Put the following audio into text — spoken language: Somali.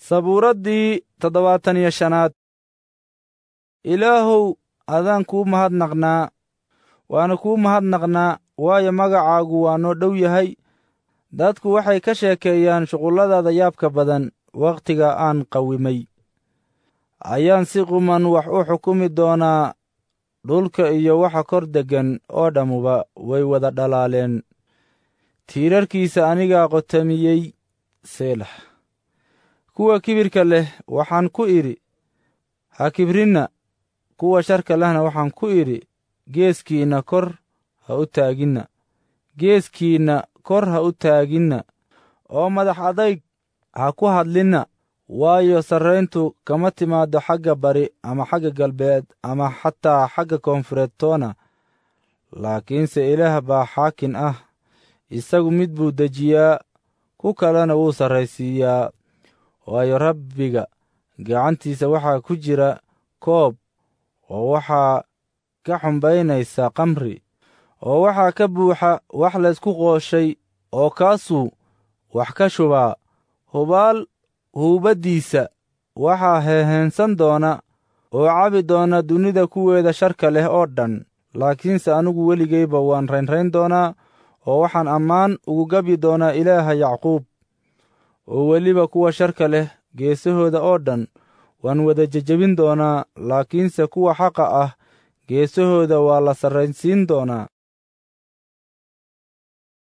Sabuuraddii 75aad. Ilaahow, adaan kuu mahadnaqnaa, waana kuu mahadnaqnaa, waayo magacaagu waa noo dhow yahay. Dadku waxay ka sheekeeyaan shuqulladaada yaabka badan. Wakhtiga aan qawimay ayaan si quman wax u xukumi doonaa. Dhulka iyo waxa kor deggan oo dhammuba way wada dhalaaleen. Tiirarkiisa anigaa qotamiyey. Seelax. Kuwa kibirka leh waxaan ku idhi, ha kibrinna; kuwa sharka lehna waxaan ku idhi, geeskiinna kor ha u taaginna, geeskiinna kor ha u taaginna, oo madax adayg ha ku hadlinna. Waayo, sarrayntu kama timaaddo xagga bari ama xagga galbeed ama xataa xagga koonfureed toona, laakiinse Ilaah baa xaakin ah. Isagu mid buu dejiyaa, ku kalena wuu sarraysiiyaa. Waayo, Rabbiga gacantiisa waxaa ku jira koob, oo waxaa ka xumbaynaysa khamri, oo waxaa ka buuxa wax laysku qooshay, oo kaasuu wax ka shubaa. Hubaal huubaddiisa waxaa heeheensan doona oo cabi doona dunida kuweeda sharka leh oo dhan. Laakiinse anigu weligayba waan raynrayn doonaa, oo waxaan ammaan ugu gabyi doonaa Ilaaha Yacquub. Oo weliba kuwa sharka leh geesahooda oo dhan waan wada jejebin doonaa, laakiinse kuwa xaqa ah geesahooda waa la sarraysiin doonaa.